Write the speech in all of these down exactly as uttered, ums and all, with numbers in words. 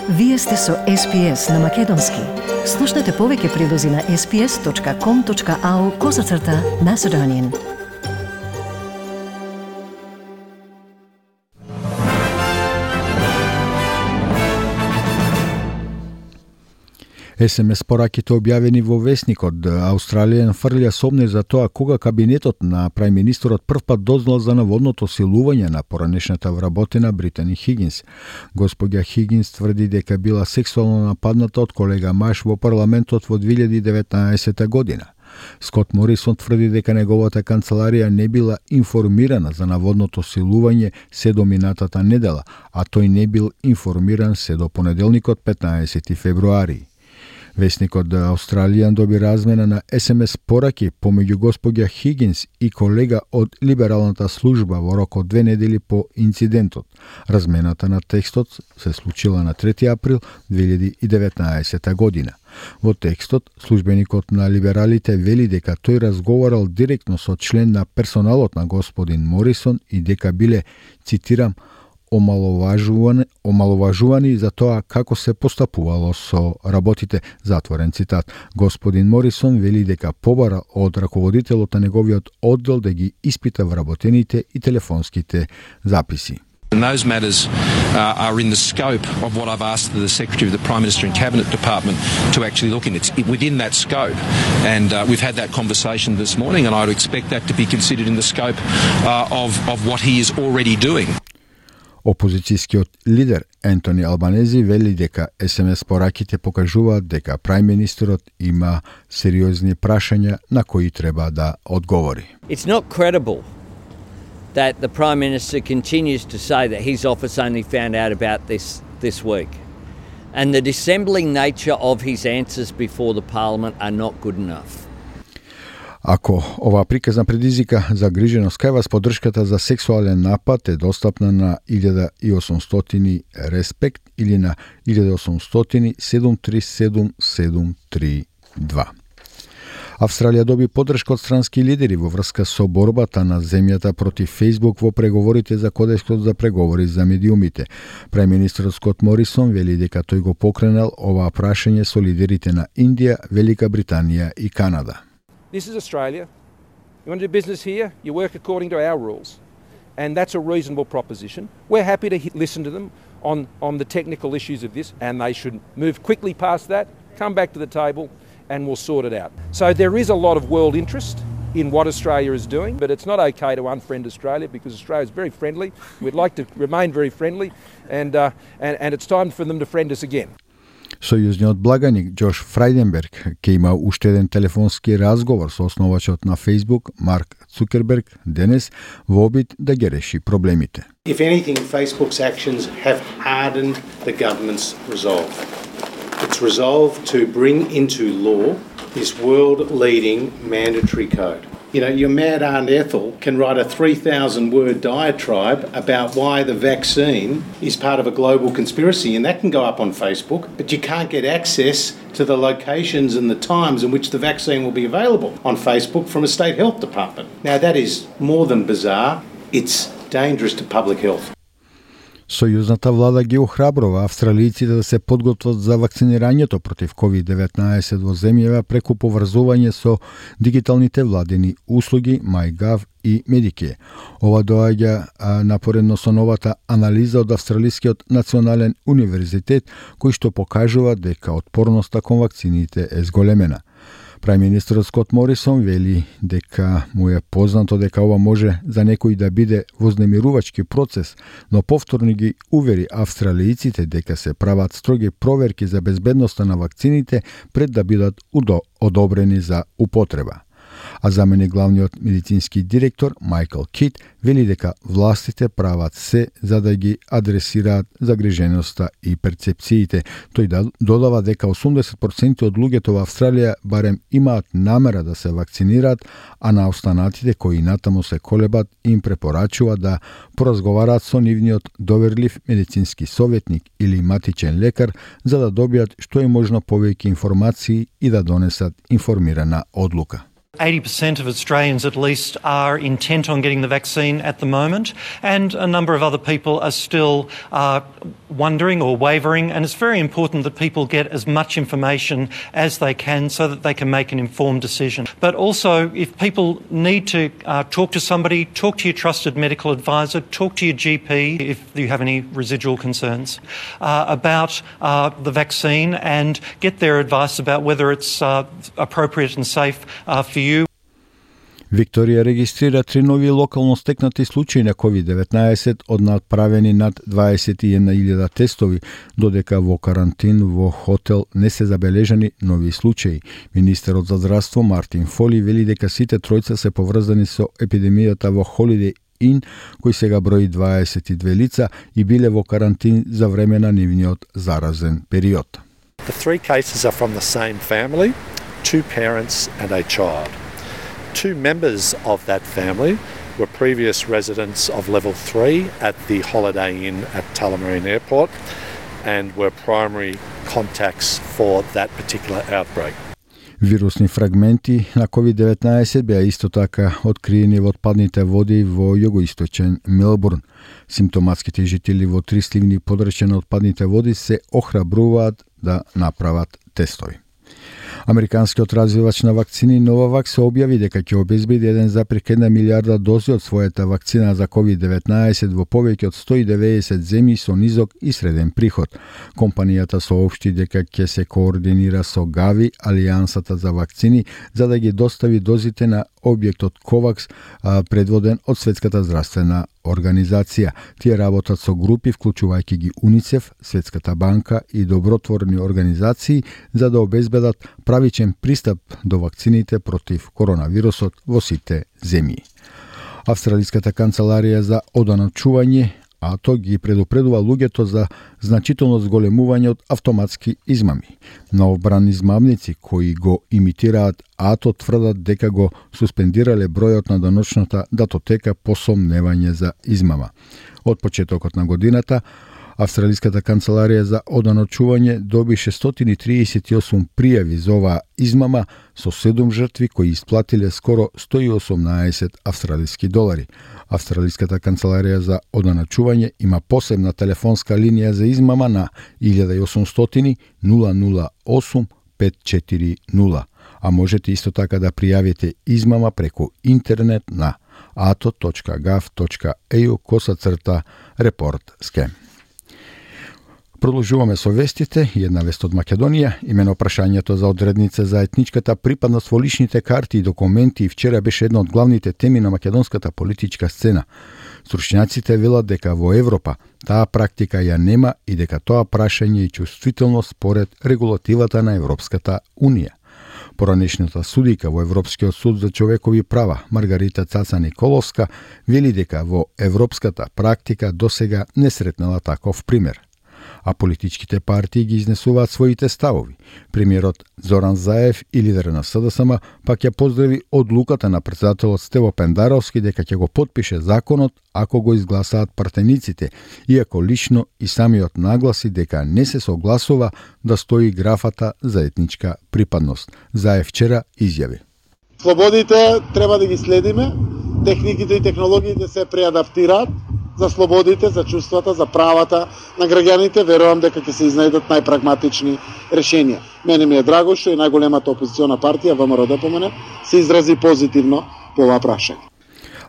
Вие сте со Ес Би Ес на Македонски. Слушнете повеќе прилози на ес би ес точка ком точка ау козацрта Macedonian. Ес Ем Ес пораките објавени во весникот Австралија фрлија сомнеж за тоа кога кабинетот на прајминистерот првпат дознал за наводното силување на поранешната вработена Британи Хигинс. Господја Хигинс тврди дека била сексуално нападната од колега маж во парламентот во две илјади и деветнаесетта година. Скот Морисон тврди дека неговата канцеларија не била информирана за наводното силување се до минатата недела, а тој не бил информиран се до понеделникот петнаесети февруари. Весникот The Australian доби размена на Ес Ем Ес пораки помеѓу господја Хигинс и колега од либералната служба во рок од две недели по инцидентот. Размената на текстот се случила на трети април две илјади и деветнаесетта година. Во текстот, службеникот на либералите вели дека тој разговарал директно со член на персоналот на господин Морисон и дека биле, цитирам, омаловажувани, омаловажувани за тоа како се постапувало со работите, затворен цитат. Господин Морисон вели дека побара од раководителот на неговиот оддел да ги испита вработените и телефонските записи. And those matters uh, are in the scope of what I've asked the Secretary of the Prime Minister and Cabinet Department to actually look in. It's within that scope. And uh, we've had that conversation this morning, and I would expect that to be considered in the scope uh, of, of what he is already doing. Опозицијскиот лидер Ентони Албанези вели дека Ес Ем Ес пораките покажуваат дека прајминистерот има сериозни прашања на кои треба да одговори. It's not credible that the Prime Minister continues to say that his office only found out about this this week. And the dissembling nature of his answers before the Parliament are not good enough. Ако оваа приказна предизвика загриженост кај вас, поддршката за сексуален напад е достапна на илјада и осумстотини Респект или на илјада и осумстотини седум три седум седум три два. Австралија доби поддршка од странски лидери во врска со борбата на земјата против Фејсбук во преговорите за кодексот за преговори за медиумите. Прајминистерот Скот Морисон вели дека тој го покренал оваа прашање со лидерите на Индија, Велика Британија и Канада. This is Australia. You want to do business here? You work according to our rules. And that's a reasonable proposition. We're happy to listen to them on, on the technical issues of this, and they should move quickly past that, come back to the table, and we'll sort it out. So there is a lot of world interest in what Australia is doing, but it's not okay to unfriend Australia because Australia is very friendly. We'd like to remain very friendly, and, uh, and, and it's time for them to friend us again. Сојузниот благаник Џош Фрајденберг ќе има уште еден телефонски разговор со основачот на Facebook Марк Цукерберг денес во обид да ги реши проблемите. If anything, Facebook's actions have hardened the government's resolve. Its resolve to bring into law this world-leading mandatory code. You know, your mad Aunt Ethel can write a three thousand word diatribe about why the vaccine is part of a global conspiracy, and that can go up on Facebook, but you can't get access to the locations and the times in which the vaccine will be available on Facebook from a state health department. Now, that is more than bizarre. It's dangerous to public health. Сојузната влада ги охрабрува австралијците да се подготват за вакцинирањето против ковид деветнаесет во земјава преку поврзување со дигиталните владени услуги MyGov и Medicare. Ова доаѓа напоредно со новата анализа од Австралискиот национален универзитет, кој што покажува дека отпорноста кон вакцините е зголемена. Прајминистерот Скот Морисон вели дека му е познато дека ова може за некој да биде вознемирувачки процес, но повторно ги увери австралијците дека се прават строги проверки за безбедноста на вакцините пред да бидат одобрени за употреба. А заменик главниот медицински директор Майкл Кит вели дека властите прават се за да ги адресираат загриженоста и перцепциите. Тој додава дека осумдесет проценти од луѓето во Австралија барем имаат намера да се вакцинираат, а на останатите кои натаму се колебат им препорачува да поразговараат со нивниот доверлив медицински советник или матичен лекар за да добијат што е можно повеќе информации и да донесат информирана одлука. eighty percent of Australians at least are intent on getting the vaccine at the moment, and a number of other people are still uh, wondering or wavering, and it's very important that people get as much information as they can so that they can make an informed decision. But also, if people need to uh, talk to somebody, talk to your trusted medical advisor, talk to your G P if you have any residual concerns uh, about uh, the vaccine, and get their advice about whether it's uh, appropriate and safe uh, for you. Викторија регистрира три нови локално стекнати случаи на ковид деветнаесет од направени над дваесет и една илјада тестови, додека во карантин во хотел не се забележани нови случаи. Министерот за здравство Мартин Фоли вели дека сите тројца се поврзани со епидемијата во Holiday Inn, кој сега брои дваесет и две лица и биле во карантин за време на нивниот заразен период. The three cases are from the same family, two parents and a child. Two members of that family were previous residents of level three at the Holiday Inn at Tullamarine Airport and were primary contacts for that particular outbreak. Вирусни фрагменти на ковид деветнаесет беа исто така откриени во отпадните води во југоисточен Мелбурн. Симптоматските жители во три сливни подрачја на отпадните води се охрабруваат да направат тестови. Американскиот развивач на вакцини Novavax се објави дека ќе обезбеди еден запир една милиарда дози од својата вакцина за ковид деветнаесет во повеќе од сто и деветдесет земји со низок и среден приход. Компанијата соопшти дека ќе се координира со Gavi, Алијансата за вакцини, за да ги достави дозите на објектот COVAX, предводен од Светската здравствена организација. Тие работат со групи, вклучувајќи ги УНИЦЕФ, Светската банка и добротворни организации, за да обезбедат правичен пристап до вакцините против коронавирусот во сите земји. Австралиската канцеларија за одначување АТО ги предупредува луѓето за значително зголемување од автоматски измами. Новобрани измамници кои го имитираат АТО тврдат дека го суспендирале бројот на даночната датотека по сомневање за измама. Од почетокот на годината, Австралиската канцеларија за одначување доби шестстотини и триесет и осум пријави за оваа измама со седум жртви кои исплатиле скоро сто и осумнаесет австралиски долари. Австралиската канцеларија за одначување има посебна телефонска линија за измама на илјада и осумстотини нула нула осум пет четири нула, а можете исто така да пријавите измама преку интернет на ato точка gov точка au косацрта report scam. Продолжуваме со вестите. Една вест од Македонија. Имено прашањето за одредница за етничката припадност во личните карти и документи вчера беше една од главните теми на македонската политичка сцена. Стручњаците велат дека во Европа таа практика ја нема и дека тоа прашање е чувствително според регулативата на Европската Унија. Поранешната судика во Европскиот суд за човекови права Маргарита Цаца Николовска вели дека во европската практика досега не сретнала таков пример. А политичките партии ги изнесуваат своите ставови. Премиерот Зоран Заев и лидер на СДСМ пак ја поздрави одлуката на председателот Стево Пендаровски дека ќе го потпише законот ако го изгласаат партениците, иако лично и самиот нагласи дека не се согласува да стои графата за етничка припадност. Заев вчера изјави: Слободите треба да ги следиме, техниките и технологиите се преадаптираат за слободите, за чувствата, за правата на граѓаните. Верувам дека ќе се изнајдат најпрагматични решенија. Мене ми е драго што и најголемата опозициона партија ВМРО-ДПМН се изрази позитивно по ова прашање.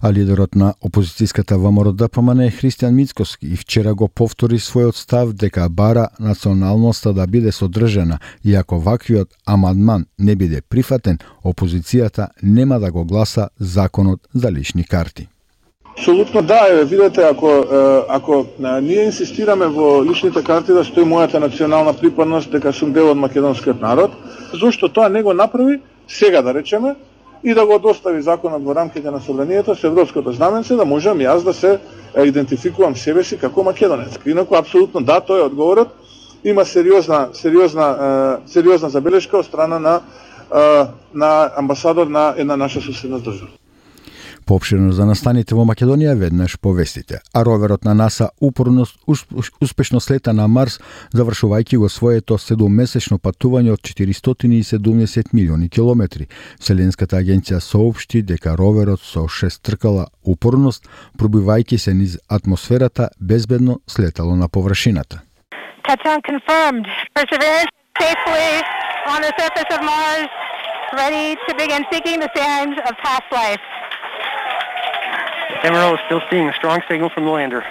А лидерот на опозицијската ВМРО-ДПМН Христијан Мицкоски и вчера го повтори својот став дека бара националноста да биде содржана и ако ваквиот амандман не биде прифатен, опозицијата нема да го гласа законот за лични карти. Апсолутно да, видете, ако ако ние инсистираме во личните карти да стои мојата национална припадност, дека сум дел од македонскиот народ, зошто тоа не го направи сега, да речеме, и да го достави законот во рамките на собранието со европското знаменце, да можам јас да се идентификувам себе си како македонец. Инаку апсолутно да, тој е одговорот. Има сериозна сериозна сериозна забелешка од страна на на амбасадор на една наша соседна држава. Поопширно за настаните во Македонија веднаш повестите. А роверот на НАСА упорно успешно слета на Марс, завршувајќи го своето седуммесечно патување од четиристотини и седумдесет милиони километри. Вселенската агенција соопшти дека роверот со шестркала упорност, пробивајќи се низ атмосферата, безбедно слетало на површината. Touchdown confirmed. Perseverance safely on the surface of Mars, ready to begin seeking the signs of past life. M R O is still seeing a strong signal from the lander.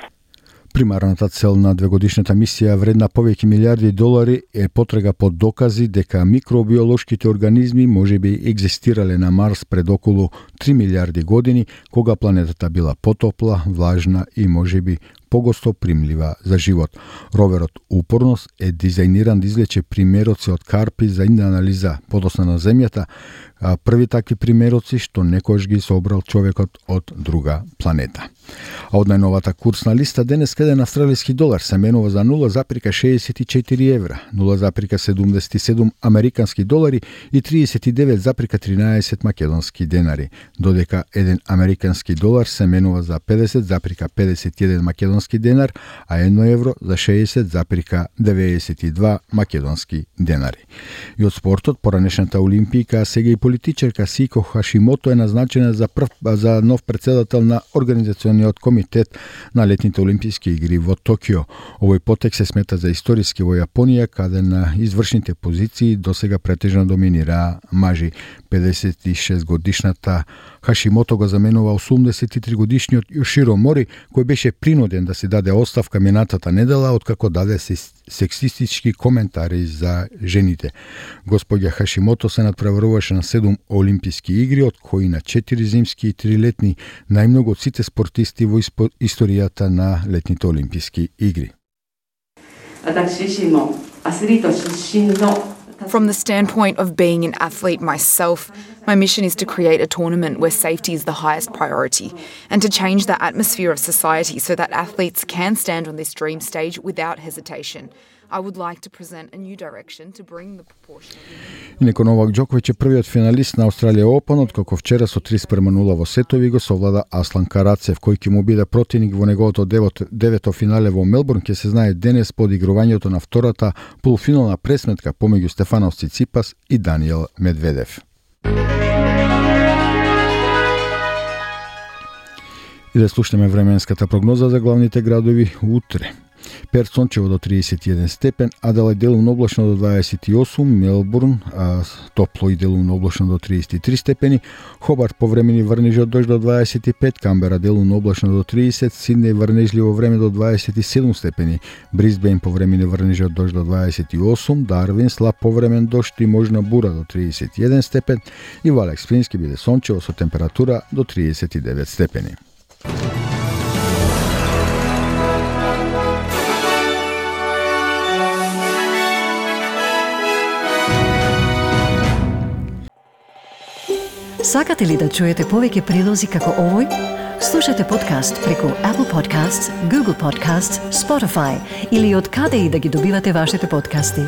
Примарната цел на двегодишната мисија вредна повеќе милиарди долари е потрага по докази дека микробиолошките организми можеби екзистирале на Марс пред околу три милиарди години, кога планетата била потопла, влажна и можеби погосто примлива за живот. Роверот упорност е дизајниран да извлече примероци од карпи за анализа подосна на Земјата, а први такви примероци што некојаш ги собрал човекот од друга планета. А од најновата курсна листа денес еден австралиски долар се менува за нула запирка шеесет и четири евра, нула запирка седумдесет и седум американски долари и триесет и девет запирка тринаесет македонски денари, додека еден американски долар се менува за педесет запирка педесет и еден македонски денар, а едно евро за шеесет запирка деветдесет и два македонски денари. И од спортот, поранешната олимпијка, а сега и политичарка Сико Хашимото е назначена за прв за нов претседател на организациониот комитет на летните олимписки игри во Токио. Овој потек се смета за историски во Јапонија, каде на извршните позиции досега претежно доминираа мажи. педесет и шест годишната Хашимото го заменува осумдесет и три годишниот Јоширо Мори, кој беше принуден да се даде оставка минатата недела откако даде сексистички коментари за жените. Господја Хашимото се надпреваруваше на седум олимписки игри, од кои на четири зимски и три летни, најмногу од сите спортисти во историјата на летните олимписки игри. From the standpoint of being an athlete myself, my mission is to create a tournament where safety is the highest priority and to change the atmosphere of society so that athletes can stand on this dream stage without hesitation. I would like to present a new direction to bring the proportion of... Инаку Новак Џоковиќ е првиот финалист на Австралија Опен, откако вчера со три спрема нула во сетови го совлада Аслан Карацев, кој ќе му биде противник во неговото девето финале во Мелбурн, ќе се знае денес по одигрувањето на втората полуфинална пресметка помеѓу Стефанос Циципас и Даниел Медведев. И да слушнеме временската прогноза за главните градови утре. Перт сончево до триесет и еден степен, Аделајд делумно облачно до дваесет и осум, Мелбурн а, топло и делумно облачно до триесет и три степени, Хобарт повремени врнежи од дожд до дваесет и пет, Камбера делумно облачно до тридесет, Сиднеј врнежливо време до дваесет и седум степени, Брисбејн повремени врнежи од дожд до дваесет и осум, Дарвин слаб повремен дожд и можна бура до триесет и еден степен и во Алекс Спринс ќе биде сончево со температура до триесет и девет степени. Сакате ли да чуете повеќе прилози како овој? Слушате подкаст преку Apple Podcasts, Google Podcasts, Spotify или од каде и да ги добивате вашите подкасти.